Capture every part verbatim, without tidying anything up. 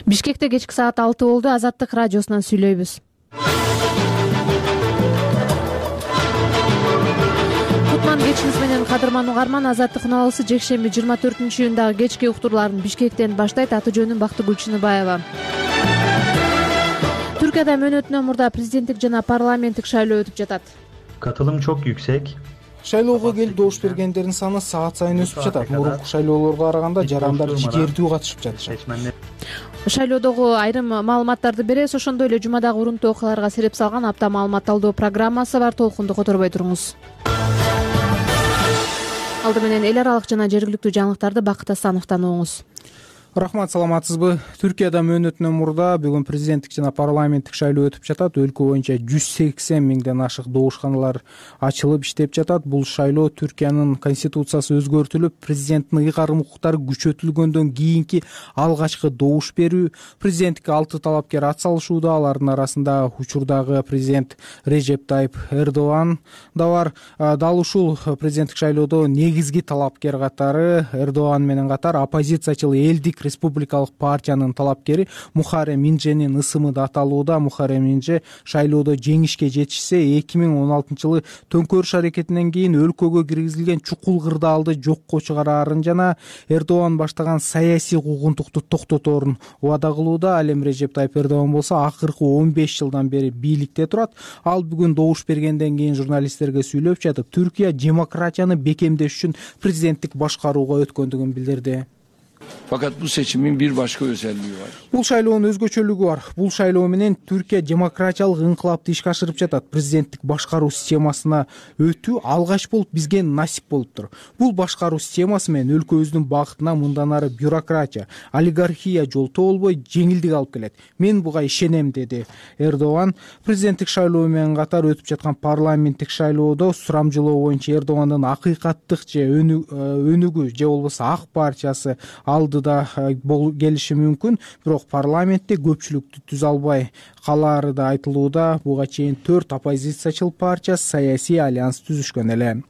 Бишкекте кечки саат алты болду. Азаттык радиосунан сүйлөйбүз. Кутман кечиңиз менен кадырман угарман. Азаттык унаалысы жекшемби жыйырма төртүнчү июндагы кечки уктурларын Бишкектен баштайт. Аты жөнүм Бактыгүл Чыныбаева. Түркияда мөөнөтүнөн мурда президенттик жана парламенттик шайлоо өтүп жатат. Катылым çok yüksek. Шайлоого келип добуш бергендердин саны саат сайын өсүп жатат. Мурунку шайлоолорго караганда жарандар жигердүү катышып жатышат. Шайлоодогу айрым маалыматтарды беребиз. Ошондой эле жумадагы урунттуу окуяларга сереп салган апта маалымат талдоо программасы бар. Толкунду которбой туруңуз. Алды менен эл аралык жана жергиликтүү жаңылыктарды Бакыт Асановдон угуңуз. Рахмат, саламатсызбы? Түркияда мөөнөтүнөн мурда бүгүн президенттик жана парламенттик шайлоо өтүп жатат. Өлкө боюнча жүз сексен миңден ашык добушканалар ачылып иштеп жатат. Бул шайлоо Түркиянын конституциясы өзгөртүлүп, президенттин ыйгарым укуктары күчөтүлгөндөн кийинки алгачкы добуш берүү. Президенттикке алты талапкер ат салышууда. Алардын арасында учурдагы президент Режеп Тайып Эрдоган да бар. Дал ушул президенттик шайлоодо негизги талапкер катары Эрдоган менен катар оппозициячыл Элдик республикалык партиянын талапкери Мухаррем Инженин ысымы да аталууда. Мухаррем Инже шайлоодо жеңишке жетишсе, эки миң он алтынчы жылы төңкөрүш аракетинен кийин өлкөгө киргизилген чукул кырдаалды жокко чыгараарын жана Эрдоган баштаган саясий куугунтукту токтоторун убада кылууда. Ал эми Режеп Тайып Эрдоган болсо акыркы он беш жылдан бери бийликте турат. Ал бүгүн добуш бергенден кийин журналисттерге сүйлөп жатып, Түркия демократияны бекемдеш үчүн президенттик башкарууга өткөндүгүн билдирди. Fakat bu seçimin bir başka özelliği var. Бул шайлоонун өзгөчөлүгү бар. Бул шайлоо менен Түркия демократиялык инкылапты ишке ашырып жатат. Президенттик башкаруу системасына өтүү алгач болуп бизге насип болуптур. Бул башкаруу системасы менен өлкөбүздүн багытына мындан ары бюрократия, олигархия жолтоо болбой жеңилдик алып келет. Мен буга ишенем, деди Эрдоган. Президенттик шайлоо менен катар өтүп жаткан парламенттик шайлоодо сурамжылоо боюнча Эрдогандын акыйкаттык же өнүгүү же болбосо Ак партиясы алдыда келиши мүмкүн, бирок парламентте көпчүлүктү түзө албай калаары да айтылууда. Буга чейин төрт оппозициячыл партия саясий альянс түзүшкөн эле.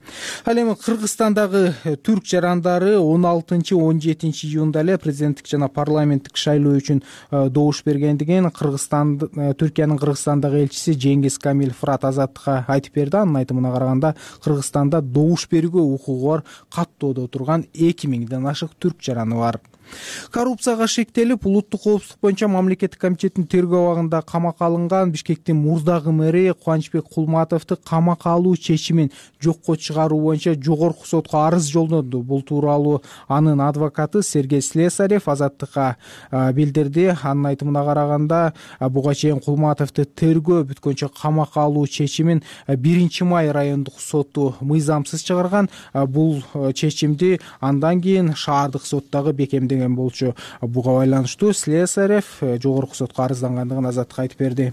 Ал эми Кыргызстандагы түрк жарандары он алтынчы он жетинчи июнда эле президенттик жана парламенттик шайлоо үчүн добуш бергендигин Кыргызстан Түркиянын Кыргызстандагы элчиси Жеңгиз Камил Фырат Азаттыкка айтып берди. Анын айтымына караганда Кыргызстанда добуш берүүгө укугу бар каттоодо турган эки миңден ашык түрк жараны бар. Коррупцияга шектелип, улуттук коопсуздук боюнча мамлекеттик комитеттин тергөө абагында камакка алынган Бишкектин мурдагы мэри Кубанычбек Кулматовду камакка алуу чечимин жокко чыгаруу боюнча жогорку сотко арыз жолдоду. Бул тууралуу анын адвокаты Сергей Слесарев Азаттыкка билдирди. Анын айтымына караганда, буга чейин Кулматовду тергөө бүткөнчө камакка алуу чечимин биринчи май райондук соту мыйзамсыз чыгарган. Бул чечимди андан кийин шаардык соттагы бекемдеген болчу. Буга байланыштуу Слесарев жогорку сотко арыздангандыгын Азаттыкка айтып берди.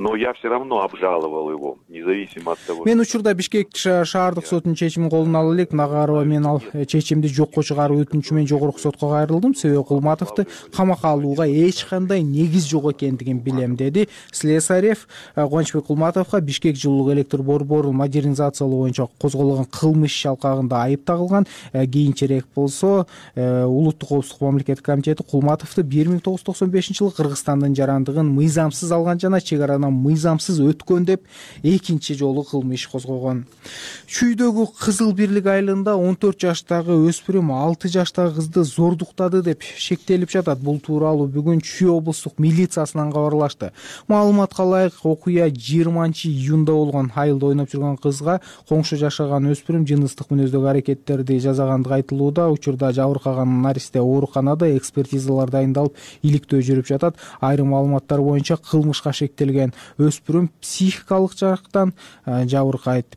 Но я все равно обжаловал его, независимо от того. Мен учурда Бишкек шаардык сотунун чечимин колуна ала элек. Нагарова мен ал чечимди жокко чыгаруу өтүнүчү менен жогорку сотко кайрылдым. Себеби Кулматовду камакка алууга эч кандай негиз жок экендигин билем, деди Слесарев. Кубанычбек Кулматовго Бишкек жылуулук электр борборун модернизациялоо боюнча козголгон кылмыш иш алкагында айып тагылган. Кийинчерээк болсо улуттук коопсуздук мамлекеттик комитети Кулматовду бир миң тогуз жүз токсон бешинчи жылы Кыргызстандын жарандыгын мыйзамсыз алган жана чек арадан мыйзамсыз өткөн деп экинчи жолу кылмыш иш козгогон. Чүйдөгү Кызыл Бирлик айылында он төрт жаштагы өспүрүм алты жаштагы кызды зордуктады деп шектелип жатат. Бул тууралуу бүгүн Чүй облустук милициясынан кабарлашты. Маалыматка ылайык, окуя жыйырманчы июнда болгон. Айылда ойноп жүргөн кызга коңшу жашаган өспүрүм жыныстык мүнөздөгү аракеттерди жасагандыгы айтылууда. Учурда жабыркаган наристе ооруканада экспертизалар дайындалып, иликтөө жүрүп жатат. Айрым маалыматтар боюнча кылмышка шектелген өспүрүм психикалык жактан жабыркайт.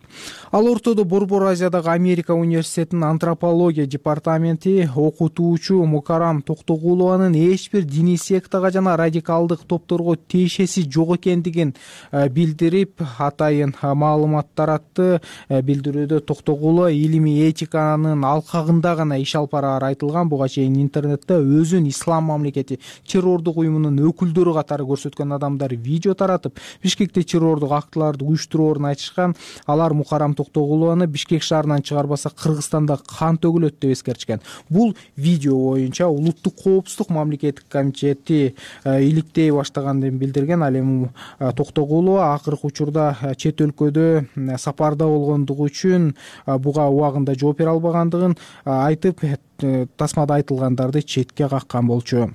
Ал ортодо Борбор Азиядагы Америка университетинин антропология департаменти окутуучу Мукарам Токтогулованын эч бир диний сектага жана радикалдык топторго тиешеси жок экендигин билдирип, атайын маалымат таратты. Билдирүүдө Токтогулова илимий этиканын алкагында гана иш алып бараары айтылган. Буга чейин интернетте өзүн ислам мамлекети террордук уюмунун өкүлдөрү катары көрсөткөн адамдар видео таратып, жатып, Бишкекте террордук актыларды уюштуруурун айтышкан. Алар Мукаррам Токтогулованы Бишкек шаарынан чыгарбаса Кыргызстанда кан төгүлөт деп эскертишкен. Бул видео боюнча Улуттук коопсуздук мамлекеттик комитети иликтей баштаганын билдирген. Ал эми Токтогулова акыркы учурда чет өлкөдө сапарда болгондугу үчүн буга убагында жооп бере албагандыгын айтып, тасмада айтылгандарды четке каккан болчу.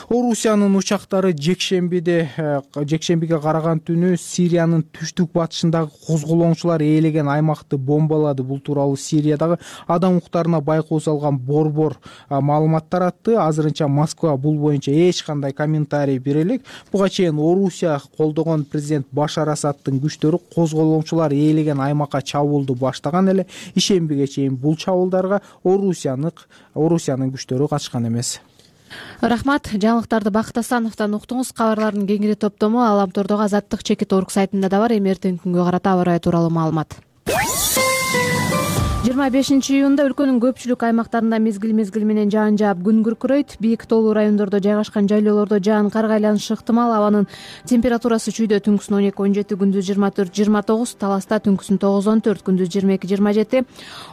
Орусиянын учактары жекшембиде жекшембиге караган түнү Сириянын түштүк батышындагы козголоңчулар ээлеген аймакты бомбалады. Бул тууралуу Сириядагы адам укуктарына байкоо салган борбор маалымат таратты. Азырынча Москва бул боюнча эч кандай комментарий бере элек. Буга чейин Орусия колдогон президент Башар Асадтын күчтөрү козголоңчулар ээлеген аймакка чабуулду баштаган эле. Ишембиге чейин бул чабуулдарга Орусиянын Орусиянын күчтөрү катышкан эмес. Рахмат. Жаңылыктарды Бакыт Асановдон уктуңуз. Кабарлардын кеңири топтому Аламтордогу Азаттык чекит орг сайтында да бар. Эми эртеңки күнгө карата аба ырайы тууралуу маалымат. жыйырма бешинчи июнда өлкөнүн көпчүлүк аймактарында мезгил-мезгил менен жаан жаап күн күркүрөйт. Бийик тоолуу райондордо жайгашкан жайлоолордо жаан карга айланышы ыктымал. Абанын температурасы чүйдө түнкүсүн он эки он жети, күндүз жыйырма төрт жыйырма тогуз, Таласта түнкүсүн тогуз он төрт, күндүз жыйырма эки жыйырма жети,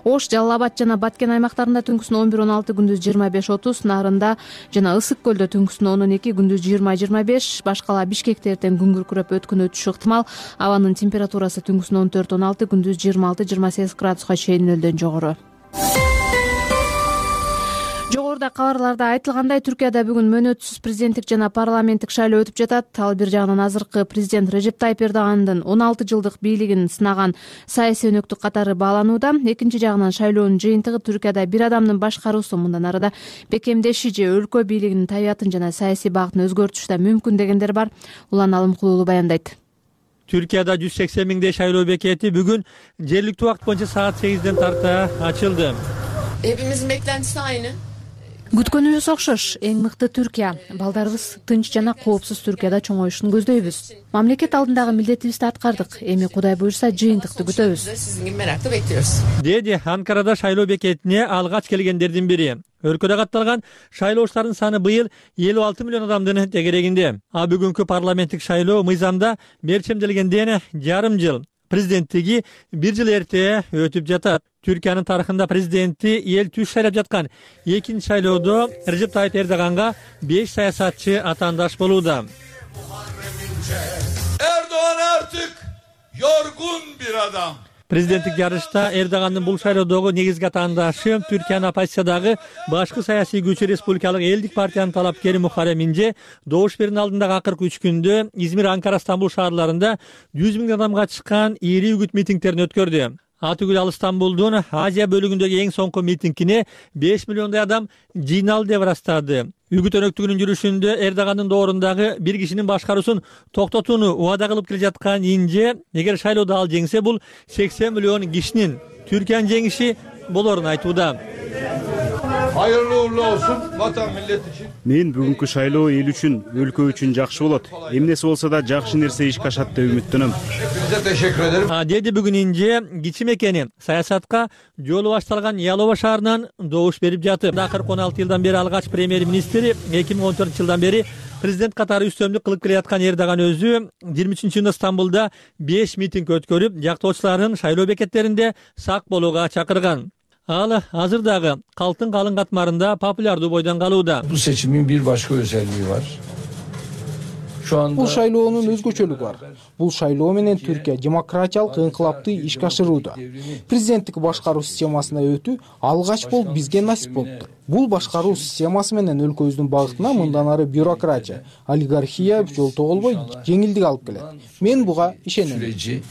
Ош, Жалал Абад жана Баткен аймактарында түнкүсүн он бир он алты, күндүз жыйырма беш отуз, Нарында жана Ысык көлдө түнкүсүн он он эки, күндүз жыйырма жыйырма беш, башкала Бишкекте эртең күн күркүрөп өткөн өтүшү ыктымал. Абанын температурасы түнкүсүн он төрт он алты, күндүз жыйырма алты жыйырма сегиз градуска чейин нөлдөн жогору. Жогоруда кабарларда айтылгандай, Түркияда бүгүн мөөнөтсүз президенттик жана парламенттик шайлоо өтүп жатат. Ал бир жагынан азыркы президент Режеп Тайип Эрдогандын он алты жылдык бийлигин сынаган саясий өнөктүк катары бааланууда. Экинчи жагынан шайлоонун жыйынтыгы Түркияда бир адамдын башкаруусу мындан арыда бекемдеши же өлкө бийлигинин табиятын жана саясий багытын өзгөртүшү да мүмкүн дегендер бар. Улан Алымкулуулу баяндайт. Түркияда жүз сексен миңдей шайлоо бекети бүгүн жергиликтүү убакыт боюнча саат сегизден тарта ачылды. Hepimizin beklentisi aynı. Күткөнүбүз окшош. Эң мыкты Түркия. Балдарыбыз тынч жана коопсуз Түркияда чоңоюшун көздөйбүз. Мамлекет алдындагы милдетибизди аткардык. Эми Кудай буйрса жыйынтыкты күтөбүз. Sizin gibi merakla bekliyoruz. Деди Анкарада шайлоо бекетине алгач келгендердин бири. Өлкөдө катталган шайлоочулардын саны быйыл элүү алты миллион адамдын тегерегинде. А бүгүнкү парламенттик шайлоо мыйзамда мерчемделгенден жарым жыл, президенттиги бир жыл эрте өтүп жатат. Түркиянын тарыхында президенти эл түз шайлап жаткан экинчи шайлоодо Режеп Тайип Эрдоганга беш саясатчы атаандаш болууда. Erdoğan artık yorgun bir adam. Президенттик жарышта Эрдогандын бул шайлоодогу негизги атаандашы Түркиянын оппозициядагы башкы саясий күчү Республикалык элдик партиянын талапкери Мухаррем Инже добуш берүүнүн алдындагы акыркы үч күндө Измир, Анкара, Стамбул шаарларында жүз миң адамга чыккан ири үгүт митингдерин өткөрдү. Атүгүл ал Стамбулдун Азия бөлүгүндөгү эң соңку митингине беш миллиондой адам жыйналды деп ырастады. Үгүт өнөктүгүнүн жүрүшүндө Эрдогандын доорундагы бир кишинин башкаруусун токтотууну убада кылып келе жаткан Инже, эгер шайлоодо ал жеңсе, бул сексен миллион кишинин Türkiye'nin жеңиши болорун айтууда. Hayırlı uğurlu olsun vatan millet için. Мен бүгүнкү шайлоо эл үчүн, өлкө үчүн жакшы болот. Эмнеси болсо да жакшы нерсе ишке ашат деп үмүттөнөм. Hepinize teşekkür ederim. А деди бүгүн Инже кичим экени саясатка жолу башталган Ялова шаарынан добуш берип жатып. Акыркы он алты жылдан бери алгач премьер-министри, эки миң он төртүнчү жылдан бери президент катары үстөмдүк кылып келе жаткан Эрдоган өзү жыйырма үчүнчү июнда Стамбулда беш митинг өткөрүп, жактоочуларын шайлоо бекеттеринде сак болууга чакырган. Ал азыр дагы калктын калың катмарында популярдуу бойдон калууда. Bu seçimin bir başka özelliği var. Şu anda Бул шайлоонун өзгөчөлүгү бар. Бул шайлоо менен Түркия демократиялык инкылапты ишке ашырууда. Президенттик башкаруу системасына өтүү алгач болуп бизге насип болуптур. Бул башкаруу системасы менен өлкөбүздүн багытына мындан ары бюрократия, олигархия жолтоо болбой жеңилдик алып келет. Мен буга ишенем. süreci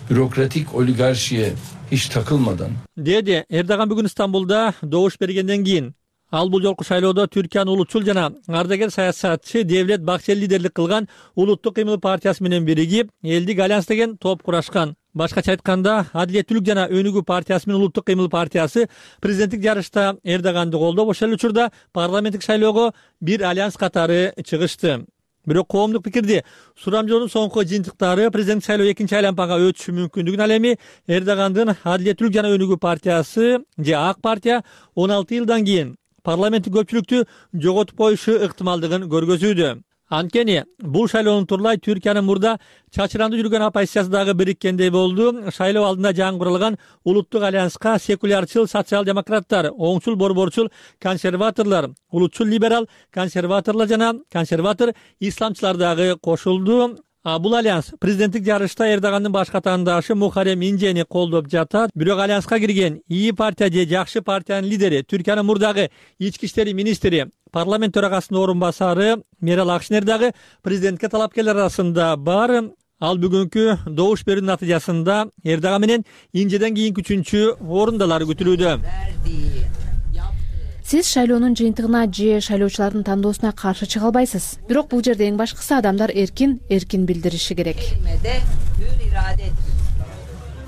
bürokratik oligarşiye hiç takılmadan Деди Эрдоган бүгүн Стамбулда добуш бергенден кийин ал бул жолку шайлоодо Түркиянын улутчул жана ардагер саясатчы Девлет Бакчел лидерлик кылган Улуттук кыймыл партиясы менен биригип, Элдик альянс деген топ курашкан. Башкача айтканда, Адилеттүүлүк жана Өнүгүү партиясы менен Улуттук кыймыл партиясы президенттик жарышта Эрдоганды колдоп, ошол эле учурда парламенттик шайлоого бир альянс катары чыгышты. Бирок коомдук пикирди сурамжоонун соңку жыйынтыктары президенттик шайлоо экинчи айлампага өтүшү мүмкүндүгүн, ал эми Эрдогандын Адилеттүүлүк жана Өнүгүү партиясы же Ак партия он алты жылдан кийин парламенттик көпчүлүктү жоготуп коюшу ыктымалдыгын көргөзүүдө. Анткени бул шайлоонун турлай Түркиянын мурда чачырандуу жүргөн оппозициясы дагы бириккендей болду. Шайлоо алдында жаңгырылган улуттук альянска секулярчыл социал-демократтар, оңчул борборчул консерваторлор, улутчул либерал консерваторлор жана консерватор исламчылар дагы кошулду. Бул альянс президенттик жарышта Эрдогандын баш катандашы Мухаррем Инжени колдоп жатат. Бирок альянска кирген ИИ партия же Жакшы партиянын лидери, Түркиянын мурдагы ички иштер министри, парламент төрагасынын орун басары Мерал Акшенер дагы президентке талапкерлер арасында бар. Ал бүгүнкү добуш берүү натыйжасында Эрдоган менен Инжеден кийинки үчүнчү орундалар күтүлүүдө. Сиз шайлоонун жыйынтыгына же шайлоочулардын тандоосуна каршы чыга албайсыз. Бирок бул жерде эң башкысы адамдар эркин эркин билдириши керек,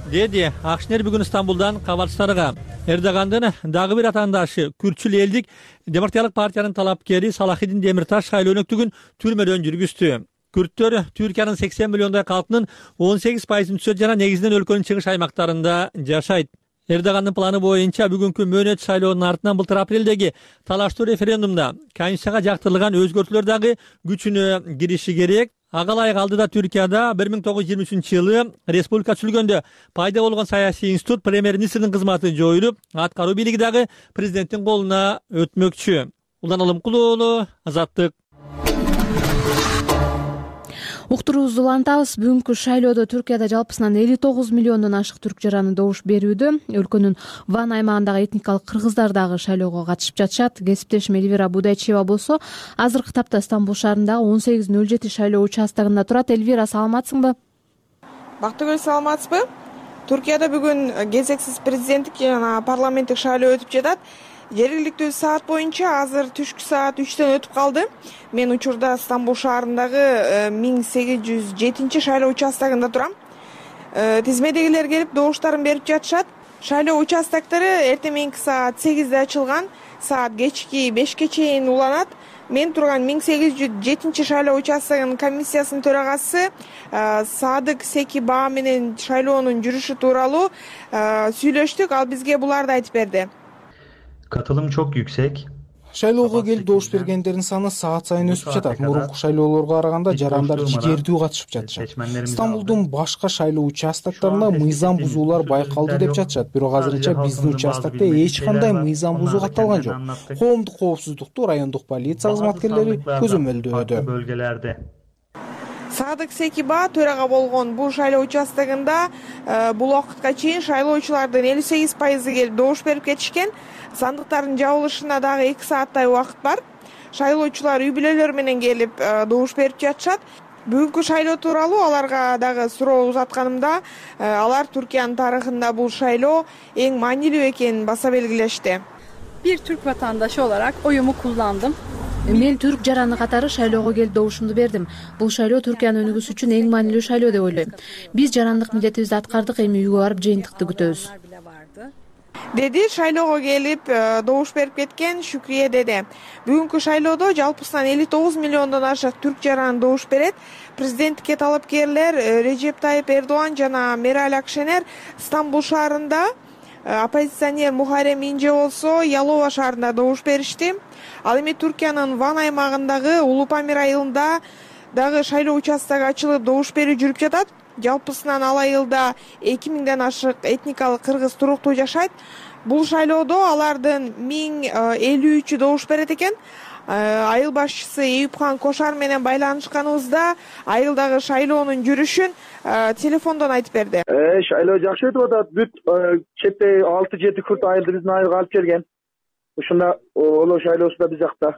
деди Акшенер бүгүн Стамбулдан кабарчыларга. Эрдогандын дагы бир атаандашы Күртчүл элдик демократиялык партиянын талапкери Салахидин Демирташ шайлоо өнөктүгүн түрмөдөн жүргүздү. Күрттөр Түркиянын сексен миллиондой калкынын он сегиз пайызын түзөт жана негизинен өлкөнүн чыгыш аймактарында жашайт. Эрдогандын планы боюнча бүгүнкү мөөнөт шайлоонун артынан былтыр апрелдеги талаштуу референдумда конституцияга жактырылган өзгөртүүлөр дагы күчүнө кириши керек. Ага ылайык алдыда Түркияда бир миң тогуз жүз жыйырма үчүнчү жылы республика түзүлгөндө пайда болгон саясий институт премьер-министрдин кызматы жоюлуп, аткаруу бийлиги дагы президенттин колуна өтмөкчү. Улан Алымкул уулу, Азаттык. Уктуруубузду улантабыз. Бүгүнкү шайлоодо Түркияда жалпысынан элүү тогуз миллиондон ашык түрк жараны добуш берүүдө. Өлкөнүн Ван аймагындагы этникалык кыргыздар дагы шайлоого катышып жатышат. Кесиптешим Эльвира Будайчева болсо азыркы тапта Стамбул шаарындагы он сегиз нөл жети шайлоо участогунда турат. Эльвира, саламатсыңбы? Бактыгүл, саламатсызбы? Түркияда бүгүн кезексиз президенттик жана парламенттик шайлоо өтүп жатат. Жергиликтүү саат боюнча азыр түшкү саат үчтөн өтүп калды. Мен учурда Стамбул шаарындагы миң сегиз жүз жетинчи шайлоо участогунда турам. Тизмедегилер келип добуштарын берип жатышат. Шайлоо участоктору эртең мененки саат сегизде ачылган, саат кечки бешке чейин уланат. Мен турган миң сегиз жүз жетинчи шайлоо участогунун комиссиясынын төрагасы Садык Секиба менен шайлоонун жүрүшү тууралуу сүйлөштүк. Ал бизге буларды айтып берди. Katılım çok yüksek. Шайлоого келип добуш бергендердин саны саат сайын өсүп жатат. Мурунку шайлоолорго караганда жарандар жигердүү катышып жатышат. Стамбулдун башка шайлоо участоктарында мыйзам бузуулар байкалды деп жатышат. Бирок азырынча биздин участокто эч кандай мыйзам бузуу катталган жок. Коомдук коопсуздукту райондук полиция кызматкерлери көзөмөлдөөдө. Садык Секиба төрага болгон бул шайлоо участогунда бул убакытка чейин шайлоочулардын элүү сегиз пайызы келип добуш берип кетишкен. Сандыктардын жабылышына дагы эки сааттай убакыт бар. Шайлоочулар үй бүлөлөрү менен келип добуш берип жатышат. Бүгүнкү шайлоо тууралуу аларга дагы суроо узатканымда, алар Түркиянын тарыхында бул шайлоо эң маанилүү экенин баса белгилешти. Bir Türk vatandaşı olarak oyumu kullandım. Мен түрк жараны катары шайлоого келип добушумду бердим. Бул шайлоо Түркиянын өнүгүүсү үчүн эң маанилүү шайлоо деп ойлойм. Биз жарандык милдетибизди аткардык, эми үйгө барып жыйынтыкты күтөбүз, деди шайлоого келип добуш берип кеткен Шүкрие деде. Бүгүнкү шайлоодо жалпысынан элүү тогуз миллиондон ашык түрк жараны добуш берет. Президенттикке талапкерлер Режеп Тайып Эрдоган жана Мерал Акшенер Стамбул шаарында, оппозиционер Мухаррем Инже болсо Ялова шаарында добуш беришти. Ал эми Түркиянын Ван аймагындагы Улупамир айылында дагы шайлоо участогу ачылып добуш берүү жүрүп жатат. Жалпысынан ал айылда эки миңден ашык этникалык кыргыз туруктуу жашайт. Бул шайлоодо алардын миң элүү үчү добуш берет экен. Айыл башчысы Эюпхан Кошар менен байланышканыбызда айылдагы шайлоонун жүрүшүн телефондон айтып берди. Шайлоо жакшы өтүп атат. Бүт четте алты жети күрт айылды биздин айылга алып келген. Ушунда олоо шайлоосу да биз жакта,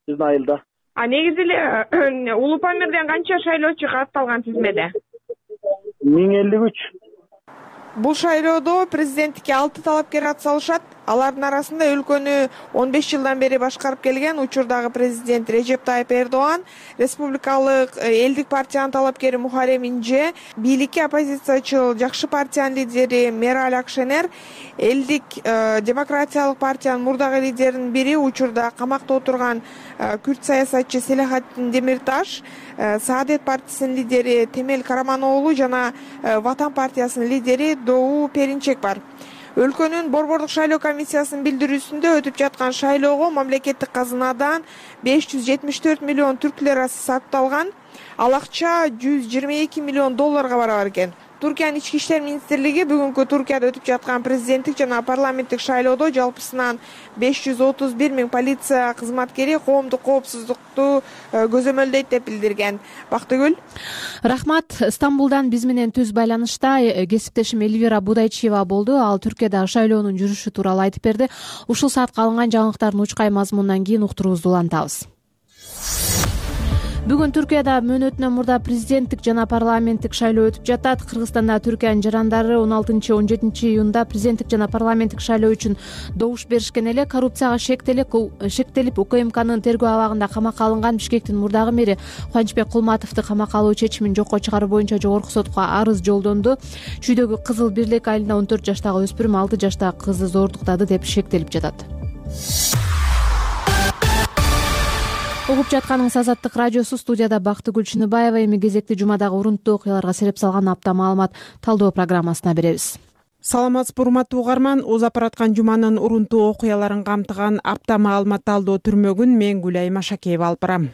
биздин айылда. А негизи эле Улупамирден канча шайлоочу катталган тизмеде? миң элүү үч. Бул шайлоодо президенттикке алты талапкер атсалышат. Алардын арасында өлкөнү он беш жылдан бери башкарып келген учурдагы президент Режеп Тайып Эрдоган, республикалык элдик партиянын талапкери Мухаррем Инже, бийликке оппозициячыл Жакшы партиянын лидери Мерал Акшенер, элдик демократиялык партиянын мурдагы лидеринин бири учурда камакта отурган күрт саясатчы Селахатин Демирташ, Саадет партиясынын лидери Темел Караман уулу жана Ватан партиясынын лидери Доо Перинчек бар. Өлкөнүн борбордук шайлоо комиссиясынын билдирүүсүндө өтүп жаткан шайлоого мамлекеттик казынадан беш жүз жетимиш төрт миллион түрк лирасы сарпталган. Ал акча жүз жыйырма эки миллион долларга барабар экен. Туркиянын ички иштер министрлиги бүгүнкү Туркияда өтүп жаткан президенттик жана парламенттик шайлоодо жалпысынан беш жүз отуз бир миң полиция кызматкери коомдук коопсуздукту көзөмөлдөйт деп билдирген. Бактыгүл. Рахмат. Стамбулдан биз менен түз байланышта кесиптешим Эльвира Будайчиева болду. Ал Түркиядагы шайлоонун жүрүшү тууралуу айтып берди. Ушул саатка алынган жаңылыктардын учкай мазмунунан кийин уктуруубузду улантабыз. Бүгүн Түркияда мөөнөтүнөн мурда президенттик жана парламенттик шайлоо өтүп жатат. Кыргызстанда Түркиянын жарандары он алтынчы он жетинчи июнда президенттик жана парламенттик шайлоо үчүн добуш беришкен эле. Коррупцияга шектелип шектелип УКМКнын тергөө абагында камакка алынган Бишкектин мурдагы мэри Кубанычбек Кулматовду камакка алуу чечимин жокко чыгаруу боюнча жогорку сотко арыз жолдонду. Чүйдөгү кызыл бирлик айылында он төрт жаштагы өспүрүм алты жаштагы кызды зордуктады деп шектелип жатат. Угуп жатканыңыз Азаттык радиосу. Студияда Бактыгүл Чыныбаева. Эми кезекти жумадагы урунттуу окуяларга сереп салган апта маалымат талдоо программасына беребиз. Саламатсызбы урматтуу угарман. Озап бараткан жуманын урунттуу окуяларын камтыган апта маалымат талдоо түрмөгүн мен Гүлай Машакеева алып барам.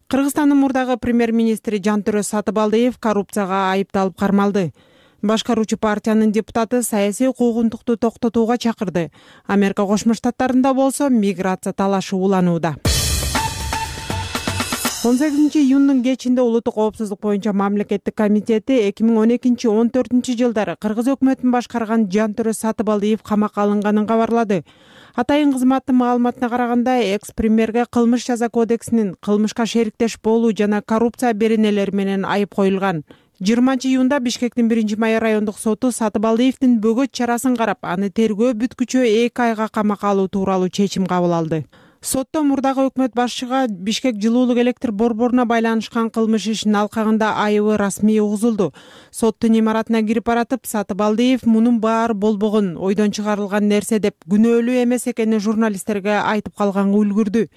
Кыргызстандын мурдагы премьер-министри Жантөрө Сатыбалдиев коррупцияга айыпталып кармалды. Башкаруучу партиянын депутаты саясий куугунтукту токтотууга чакырды. Америка Кошмо Штаттарында болсо миграция талашы уланууда. он сегизинчи июндун кечинде улуттук коопсуздук боюнча мамлекеттик комитети эки миң он экинчи он төртүнчү жылдары Кыргыз өкмөтүн башкарган Жантөрө Сатыбалдиев камакка алынганын кабарлады. Атайын кызматтын маалыматына караганда, экс-премьерге кылмыш жаза кодексинин кылмышка шериктеш болуу жана коррупция беренелери менен айып коюлган. жыйырманчы июнда Бишкектин биринчи май райондук соту Сатыбалдиевдин бөгөт чарасын карап, аны тергөө бүткүчө эки айга камакка алуу тууралуу чечим кабыл алды. Сотто мурдагы өкмөт башчыга Бишкек жылуулук электр борборуна байланышкан кылмыш ишинин алкагында айыбы расмий угузулду. Соттун имаратына кирип баратып, Сатыбалдиев мунун баары болбогон, ойдон чыгарылган нерсе деп күнөөлүү эмес экенин журналисттерге айтып калганга үлгүрдү.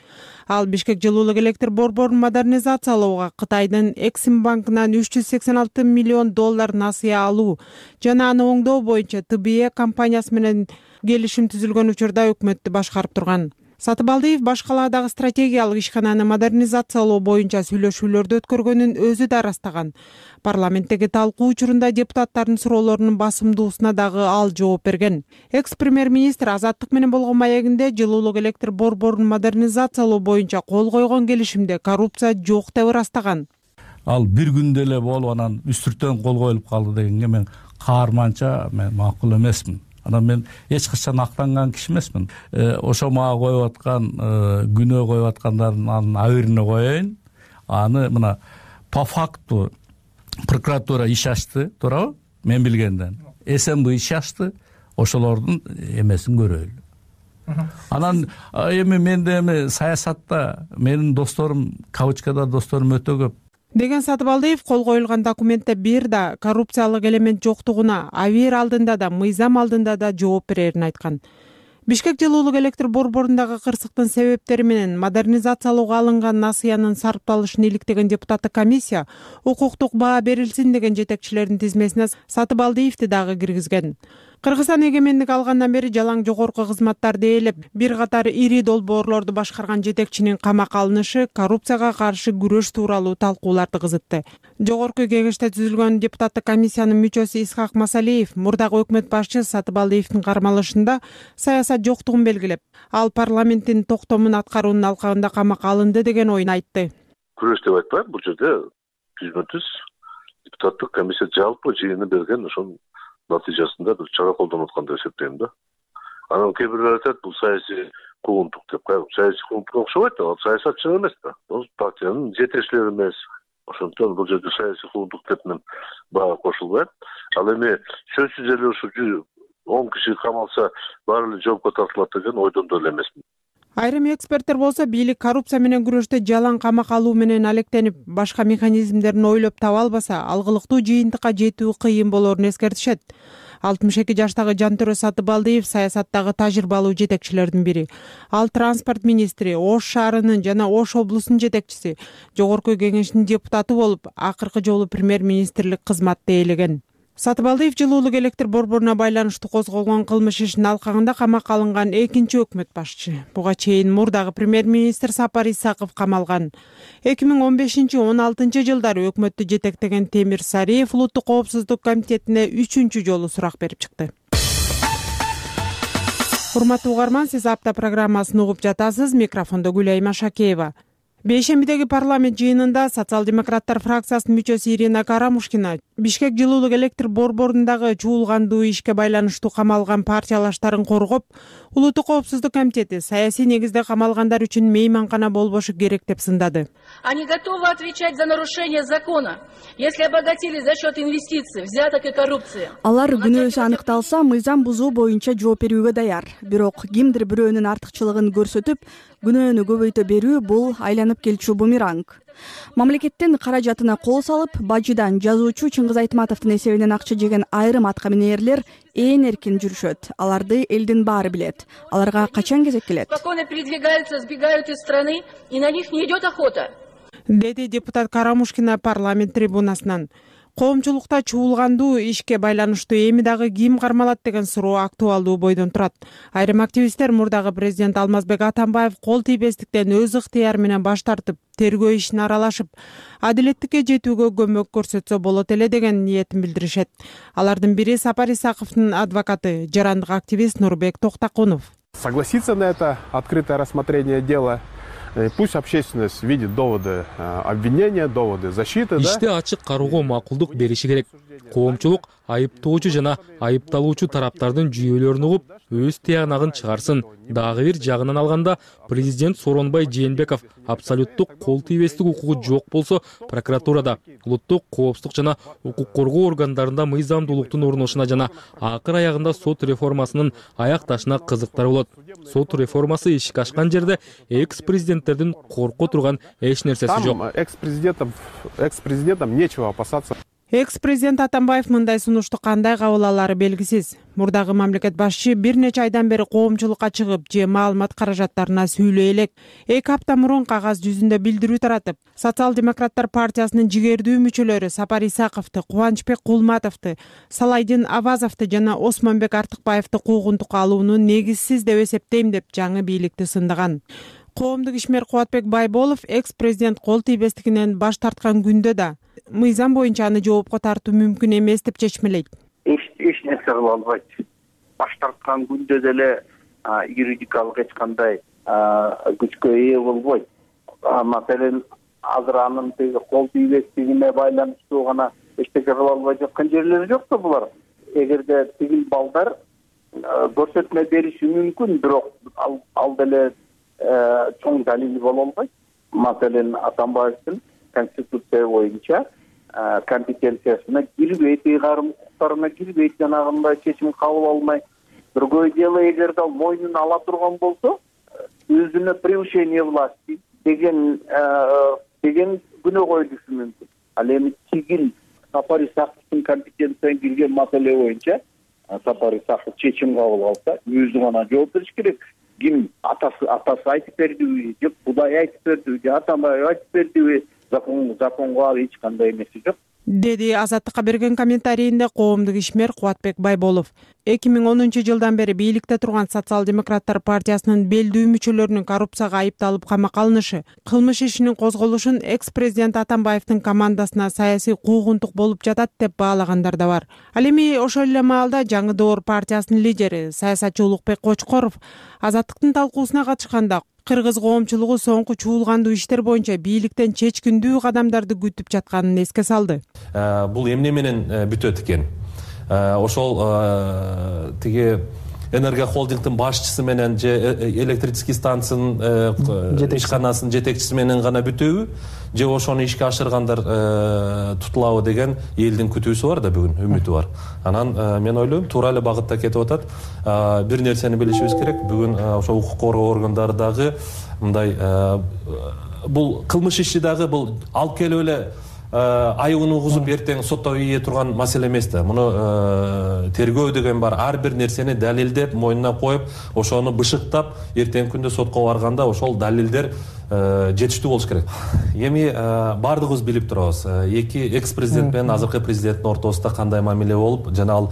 Ал Бишкек жылуулук электр борборун модернизациялоого Кытайдын Эксим банкынан үч жүз сексен алты миллион доллар насыя алуу жана аны оңдоо боюнча Т Б Е компаниясы менен келишим түзүлгөн учурда өкмөттү башкарып турган. Сатыбалдиев башкалаадагы стратегиялык ишкананы модернизациялоо боюнча сүйлөшүүлөрдү өткөргөнүн өзү да ырастаган. Парламенттеги талкуу учурунда депутаттардын суроолорунун басымдуусуна дагы ал жооп берген. Экс-премьер-министр Азаттык менен болгон маегинде жылуулук электр борборун модернизациялоо боюнча кол койгон келишимде коррупция жок деп ырастаган. Ал бир күндө эле болуп анан үстүртөн кол коюлуп калды дегенге мен каарманча мен макул эмесмин. Анан мен эч качан актанган киши эмесмин. Ошо мага коюп аткан күнөө коюп аткандардын абирине коеюн. Аны мына по факту прокуратура иш ачты, туурабы? Мен билгенден. С М Б иш ачты, ошолордун эмесин көрөлү. Анан эми менде эми саясатта менин досторум, кавычкада досторум өтө көп. Деген Сатыбалдиев кол коюлган документте бир да коррупциялык элемент жоктугуна абийир алдында да, мыйзам алдында да жооп берерин айткан. Бишкек жылуулук электр борборундагы кырсыктын себептери менен модернизациялоого алынган насыянын сарпталышын иликтеген депутаттык комиссия укуктук баа берилсин деген жетекчилердин тизмесине Сатыбалдиевди дагы киргизген. Кыргызстан эгемендик алгандан бери жалаң жогорку кызматтарды ээлеп, бир катар ири долбоорлорду башкарган жетекчинин камакка алынышы коррупцияга каршы күрөш тууралуу талкууларды кызытты. Жогорку кеңеште түзүлгөн депутаттык комиссиянын мүчөсү Исхак Масалиев мурдагы өкмөт башчы Сатыбалдиевдин кармалышында саясат жоктугун белгилеп, ал парламенттин токтомун аткаруунун алкагында камакка алынды деген оюн айтты. Күрөш деп айтпайм, бул жерде жүзмө жүз депутаттык комиссия жалпы жыйыны берген ошонун натыйжасында бир чара колдонуп аткан деп эсептейм да. Анан кээ бирлер айтат, бул саясий куугунтук деп. Саясий куугунтукка окшобойт, ал саясатчы эмес да. Бул партиянын жетекчилери эмес. Ошондон бул жерде саясий куугунтук деп мен бага кошулбайм. Ал эми сөзсүз эле ушу он киши камалса баары эле жоопко тартылат деген ойдон да эле эмесмин. Айрым эксперттер болсо бийлик коррупция менен күрөштө жалаң камакка алуу менен алектенип, башка механизмдерин ойлоп таба албаса, алгылыктуу жыйынтыкка жетүү кыйын болоорун эскертишет. алтымыш эки жаштагы Жантөрө Сатыбалдиев саясаттагы тажрыйбалуу жетекчилердин бири. Ал транспорт министри, Ош шаарынын жана Ош облусунун жетекчиси, жогорку кеңештин депутаты болуп, акыркы жолу премьер-министрлик кызматты ээлеген. Сатыбалдиев жылуулук электр борборуна байланыштуу козголгон кылмыш ишинин алкагында камакка алынган экинчи өкмөт башчы. Буга чейин мурдагы премьер-министр Сапар Исаков камалган. эки миң он бешинчи он алтынчы жылдары өкмөттү жетектеген Темир Сариев улуттук коопсуздук комитетине үчүнчү жолу сурак берип чыкты. Урматтуу угарман, сиз апта программасын угуп жатасыз. Микрофондо Гүлайма Шакеева. Бейшембидеги парламент жыйынында социал-демократтар фракциясынын мүчөсү Ирина Карамушкина Бишкек жылуулук электр борборундагы чуулгандуу ишке байланыштуу камалган партиялаштарын коргоп, улуттук коопсуздук комитети саясий негизде камалгандар үчүн мейманкана болбошу керек деп сындады. Они готовы отвечать за нарушение закона, если обогатились за счет инвестиций, взяток и коррупции. Алар күнөөсү аныкталса, мыйзам бузуу боюнча жооп берүүгө даяр. Бирок кимдир бирөөнүн артыкчылыгын көрсөтүп, күнөөнү көбөйтө берүү бул айланып келчү бумеранг. Мамлекеттин каражатына кол салып, бажыдан жазуучу Чыңгыз Айтматовдун эсебинен акча жеген айрым атка минерлер ээн эркин жүрүшөт. Аларды элдин баары билет. Аларга качан кезек келет? Спокойно передвигаются, сбегают из страны, и на них не идет охота. Деди депутат Карамушкина парламент трибунасынан. Коомчулукта чуулгандуу ишке байланыштуу эми дагы ким кармалат деген суроо актуалдуу бойдон турат. Айрым активисттер мурдагы президент Алмазбек Атамбаев кол тийбестиктен өз ыктыяры менен баш тартып, тергөө ишине аралашып, адилеттикке жетүүгө көмөк көрсөтсө болот эле деген ниетин билдиришет. Алардын бири Сапар Исаковдун адвокаты, жарандык активист Нурбек Токтакунов. Согласиться на это открытое рассмотрение дела. Пусть общественность видит доводы обвинения, доводы защиты. Иште ачык кароого макулдук бериши керек. Коомчулук айыптоочу жана айыпталуучу тараптардын жүйөлөрүн угуп, өз тыянагын чыгарсын. Дагы бир жагынан алганда, президент Сооронбай Жээнбеков абсолюттук кол тийбестик укугу жок болсо, прокуратурада, улуттук коопсуздук жана укук коргоо органдарында мыйзамдуулуктун орношуна жана акыр аягында сот реформасынын аякташына кызыктар болот. Сот реформасы ишке ашкан жерде экс-президенттердин корко турган эч нерсеси жок. Экс-президентам, экс-президентам нечего опасаться. Экс-президент Атамбаев мындай сунушту кандай кабыл алары белгисиз. Мурдагы мамлекет башчы бир нече айдан бери коомчулукка чыгып, же маалымат каражаттарына сүйлөй элек. эки апта мурун кагаз жүзүндө билдирүү таратып, социал-демократтар партиясынын жигердүү мүчөлөрү Сапар Исаковду, Кубанычбек Кулматовду, Салайдин Авазовду жана Осмонбек Артыкбаевди куугунтукка алууну негизсиз деп эсептейм деп жаңы бийликти сындаган. Коомдук ишмер Кубатбек Байболов экс-президент кол тийбестигинен баш тарткан күндө да мыйзам боюнча аны жоопко тартуу мүмкүн эмес деп чечмелейт. Эч эч нерсе кыла албайт. Баш тарткан күндө деле юридикалык эч кандай күчкө ээ болбойт. Маселен, азыр анын теги кол тийбестигине байланыштуу гана эчтеке кыла албай жаткан жерлери жокпу булар? Эгерде тигил балдар көрсөтмө бериши мүмкүн, бирок ал, ал деле чоң далили боло албайт. Маселен, Атамбаевдин конституция боюнча компетенциясына кирбейт, ыйгарым укуктарына кирбейт, жанагындай чечим кабыл алмай. Другое дело, эгерде ал мойнуна ала турган болсо, өзүнө превышение власти деген деген күнөө коюлушу мүмкүн. Ал эми тигил Сапар Исаковдун компетенциясына кирген маселе боюнча Сапар Исаков чечим кабыл алса, өзү гана жооп бериш керек. Ким атасы атасы айтып бердиби, же Кудай айтып бердиби, же Атамбаев айтып бердиби, закон законго эч кандай эмеси жок. Деди Азаттыкка берген комментарийинде коомдук ишмер Кубатбек Байболов. эки миң онунчу жылдан бери бийликте турган социал-демократтар партиясынын белдүү мүчөлөрүнүн коррупцияга айыпталып камакка алынышы, кылмыш ишинин козголушун экс-президент Атамбаевдин командасына саясий куугунтук болуп жатат деп баалагандар да бар. Ал эми ошол эле маалда Жаңы Доор партиясынын лидери, саясатчы Улукбек Кочкоров Азаттыктын талкуусуна катышканда кыргыз коомчулугу соңку чуулгандуу иштер боюнча бийликтен чечкиндүү кадамдарды күтүп жатканын эске салды. Бул эмне менен бүтөт экен? Ошол тиги энергохолдингдин башчысы менен же электрический станциянын ишканасынын жетекчиси менен гана бүтөбү, же ошону ишке ашыргандар тутулабы деген элдин күтүүсү бар да, бүгүн үмүтү бар. Анан мен ойлойм, туура эле багытта кетип атат. Бир нерсени билишибиз керек, бүгүн ошо укук коргоо органдары дагы мындай бул кылмыш иши дагы бул алып келип эле айыбын угузуп эртең сотто ийе турган маселе эмес да. Муну тергөө деген бар. Ар бир нерсени далилдеп, мойнуна коюп, ошону бышыктап, эртең күндө сотко барганда ошол далилдер жетиштүү болуш керек. Эми баардыгыбыз билип турабыз, эки экс президент менен азыркы президенттин ортосунда кандай мамиле болуп, жана ал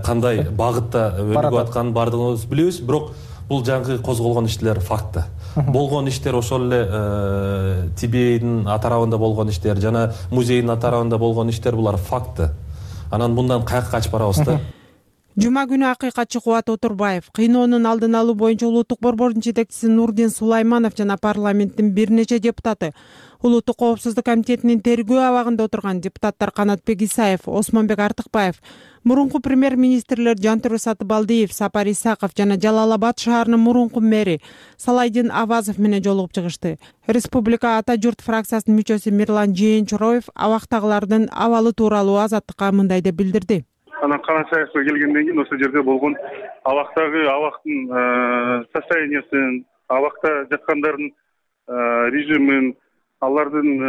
кандай багытта өнүгүп атканын баардыгыбыз билебиз. Бирок бул жаңы козголгон иштер факты. Болгон иштер ошол эле Ти Би Эйдин атарабында болгон иштер жана музейдин атарабында болгон иштер булар факты. Анан мындан каяка качып барабыз да? Жума күнү акыйкатчы Кубат Отурбаев, кыйноонун алдын алуу боюнча улуттук борбордун жетекчиси Нурдин Сулайманов жана парламенттин бир нече депутаты, Улуттук коопсуздук комитетинин тергөө абагында отурган депутаттар Канатбек Исаев, Осмонбек Артыкбаев, мурунку премьер-министрлер Жантүрө Сатыбалдиев, Сапар Исаков жана Жалал Абад шаарынын мурунку мэри Салайдин Авазов менен жолугуп чыгышты. Республика Ата журт фракциясынын мүчөсү Мирлан Жээнчороев абактагылардын абалы тууралуу Азаттыкка мындай деп билдирди. Анан Канашаевка келгенден кийин ошол жерде болгон абактагы абактын состояниясын, абакта жаткандардын режимин, алардын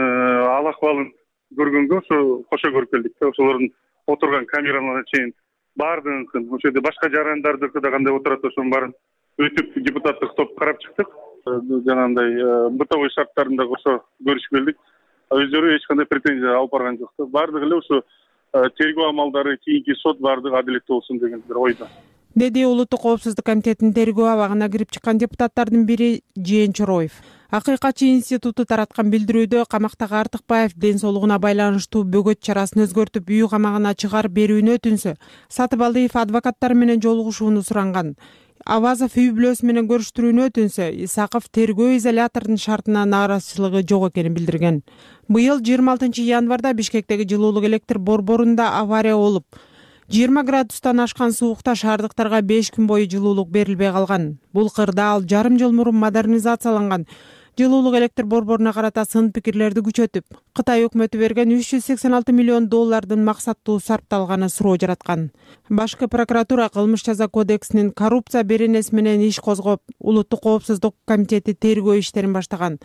ал акыбалын көргөнгө ошо кошо көрүп келдик. Ошолордун отурган камераларына чейин баардыгын, ошол жерде башка жарандардыкы да кандай отурат ошонун баарын өтүп депутаттык топ карап чыктык. Жанагындай бытовой шарттарын да ошо көрүшүп келдик. Өздөрү эч кандай претензия алып барган жок. Баардыгы эле ошо тергөө амалдары, кийинки сот баардыгы адилеттүү болсун деген бир ойдо. Деди Улуттук коопсуздук комитетинин тергөө абагына кирип чыккан депутаттардын бири Жээнчороев. Акыйкатчы институту тараткан билдирүүдө камактагы Артыкбаев ден соолугуна байланыштуу бөгөт чарасын өзгөртүп үй камагына чыгарып берүүнү өтүнсө, Сатыбалдиев адвокаттары менен жолугушууну суранган. Авазов үй бүлөсү менен көрүштүрүүнү өтүнсө, Исаков тергөө изоляторунун шартына нааразычылыгы жок экенин билдирген. Быйыл жыйырма алтынчы январда Бишкектеги жылуулук электр борборунда авария болуп, жыйырма градустан ашкан суукта шаардыктарга беш күн бою жылуулук берилбей калган. Бул кырда ал жарым жыл мурун модернизацияланган жылуулук электр борборуна карата сын пикирлерди күчөтүп, Кытай өкмөтү берген үч жүз сексен алты миллион доллардын максаттуу сарпталганы суроо жараткан. Башкы прокуратура кылмыш жаза кодексинин коррупция беренеси менен иш козгоп, Улуттук коопсуздук комитети тергөө иштерин баштаган.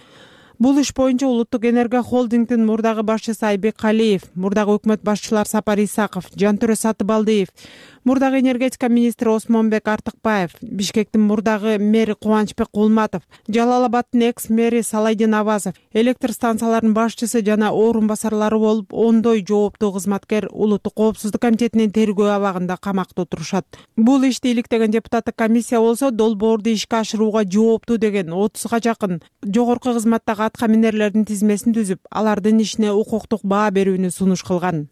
Бул иш боюнча Улуттук энерго холдингдин мурдагы башчысы Айбек Калиев, мурдагы өкмөт башчылар Сапар Исаков, Жантүрө Сатыбалдиев, мурдагы энергетика министри Осмонбек Артыкбаев, Бишкектин мурдагы мэри Кубанычбек Кулматов, Жалал Абадтын экс-мэри Салайдин Авазов, электр станцияларынын башчысы жана орун басарлары болуп, ондой жооптуу кызматкер Улуттук коопсуздук комитетинин тергөө абагында камакта отурушат. Бул ишти иликтеген депутаттык комиссия болсо, долбоорду ишке ашырууга жооптуу деген отузга жакын жогорку кызматтагы атка минерлердин тизмесин түзүп, алардын ишине укуктук баа берүүнү сунуш кылган.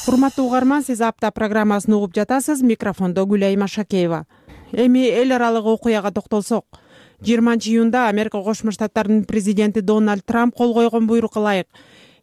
Урматтуу угарман, сиз апта программасын угуп жатасыз. Микрофондо Гүлайым Ашакеева. Эми эл аралык окуяга токтолсок, жыйырманчы июнда Америка Кошмо Штаттарынын президенти Дональд Трамп кол койгон буйрукка ылайык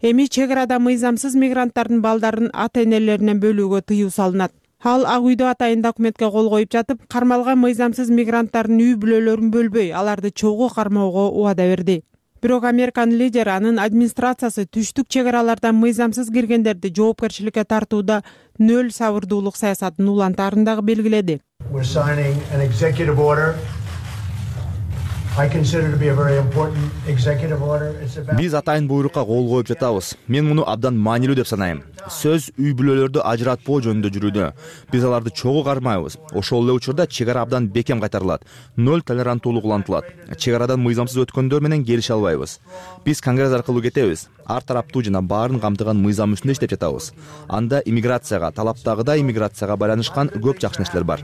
эми чек арада мыйзамсыз мигранттардын балдарын ата-энелеринен бөлүүгө тыюу салынат. Ал Ак үйдө атайын документке кол коюп жатып, кармалган мыйзамсыз мигранттардын үй бүлөлөрүн бөлбөй, аларды чогуу кармоого убада берди. Бирок Американын лидери анын администрациясы түштүк чек аралардан мыйзамсыз киргендерди жоопкерчиликке тартууда нөл сабырдуулук саясатын улантаарын дагы белгиледи. Биз атайын буйрукка кол коюп жатабыз. Мен муну абдан маанилүү деп санайм. Сөз үй бүлөлөрдү ажыратпоо жөнүндө жүрүүдө. Биз аларды чогуу кармайбыз. Ошол эле учурда чек ара абдан бекем кайтарылат. Нөл толеранттуулук улантылат. Чек арадан мыйзамсыз өткөндөр менен келише албайбыз. Биз Конгресс аркылуу кетебиз. Ар тараптуу жана баарын камтыган мыйзам үстүндө иштеп жатабыз. Анда иммиграцияга, талаптагыдай иммиграцияга байланышкан көп жакшы нерселер бар.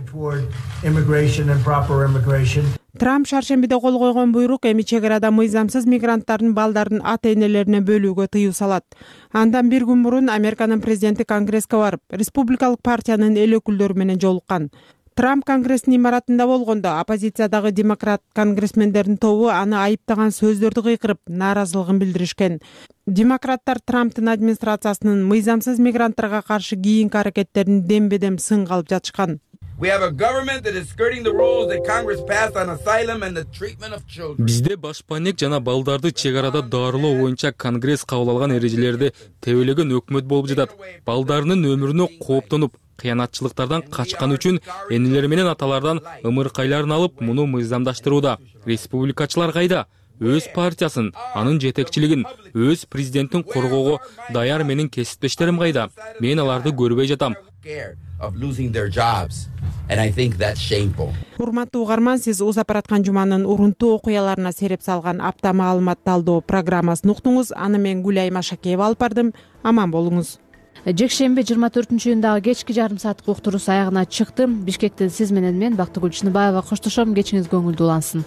Трамп шаршембиде кол койгон буйрук эми чек арада мыйзамсыз мигранттардын балдарын ата-энелерине бөлүүгө тыюу салат. Андан бир күн мурун Американын президенти Конгресске барып, республикалык партиянын эл өкүлдөрү менен жолуккан. Трамп Конгресстин имаратында болгондо оппозициядагы демократ конгрессмендердин тобу аны айыптаган сөздөрдү кыйкырып, нааразылыгын билдиришкен. Демократтар Трамптын администрациясынын мыйзамсыз мигранттарга каршы кийинки аракеттерин дембедем сынга алып жатышкан. Бизде башпанек жана балдарды чек арада дарылоо боюнча Конгресс кабыл алган эрежелерди тебелеген өкмөт болуп жатат. Балдарынын өмүрүнө кооптонуп, кыянатчылыктардан качкан үчүн энелери менен аталардан ымыркайларын алып, муну мыйзамдаштырууда. Республикачылар кайда? Өз партиясын, анын жетекчилигин, өз президенттин коргоого даяр менин кесиптештерим кайда? Мен аларды көрбөй жатам. урматтуу угарман, сиз узап бараткан жуманын урунтуу окуяларына сереп салган апта маалымат талдоо программасын уктуңуз. Аны мен Гүлайым Ашакеева алып бардым. Аман болуңуз. Жекшемби жыйырма төртүнчү июндагы кечки жарым сааттык уктуруусу аягына чыкты. Бишкектен сиз менен мен Бактыгүл Чыныбаева коштошом. Кечиңиз көңүлдүү улансын.